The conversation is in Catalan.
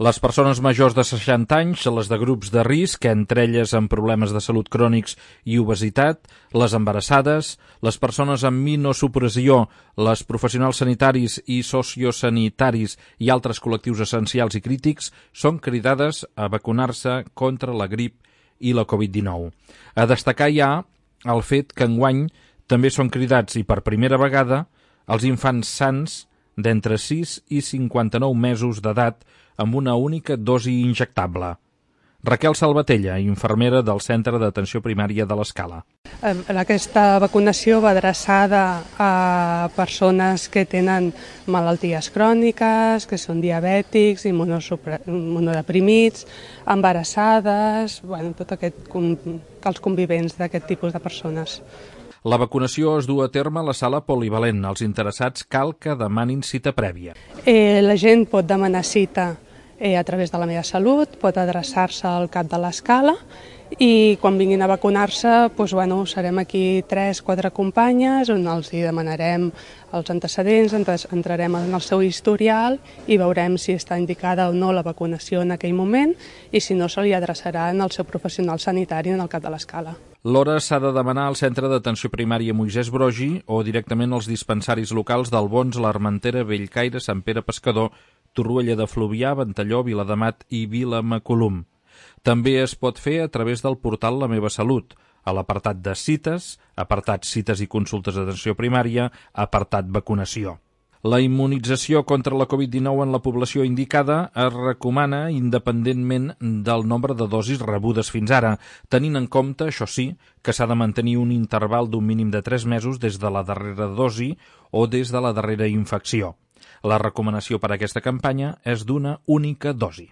Les persones majors de 60 anys, les de grups de risc, entre elles amb problemes de salut crònics i obesitat, les embarassades, les persones amb immunosupressió, les professionals sanitaris i sociosanitaris i altres col·lectius essencials i crítics són cridades a vacunar-se contra la grip i la Covid-19. A destacar ja el fet que enguany també són cridats i per primera vegada els infants sans d'entre 6 i 59 mesos d'edat amb una única dosi injectable. Raquel Salvatella, infermera del Centre d'Atenció Primària de l'Escala. Aquesta vacunació va adreçada a persones que tenen malalties cròniques, que són diabètics, immunodeprimits, embarassades, els convivents d'aquest tipus de persones. La vacunació es du a terme a la sala polivalent. Els interessats cal que demanin cita prèvia. La gent pot demanar cita a través de la meva salut, pot adreçar-se al cap de l'Escala i quan vinguin a vacunar-se serem aquí 3-4 companyes on els demanarem els antecedents, entrarem en el seu historial i veurem si està indicada o no la vacunació en aquell moment i si no se li adreçarà al seu professional sanitari en el cap de l'Escala. L'hora s'ha de demanar al Centre d'Atenció Primària Moisès Broggi o directament als dispensaris locals d'Albons, l'Armentera, Bellcaire, Sant Pere Pescador, Torroella de Fluvià, Ventalló, Viladamat i Vilamacolum. També es pot fer a través del portal La Meva Salut, a l'apartat de cites, apartat cites i consultes d'atenció primària, apartat vacunació. La immunització contra la Covid-19 en la població indicada es recomana independentment del nombre de dosis rebudes fins ara, tenint en compte, això sí, que s'ha de mantenir un interval d'un mínim de 3 mesos des de la darrera dosi o des de la darrera infecció. La recomanació per a aquesta campanya és d'una única dosi.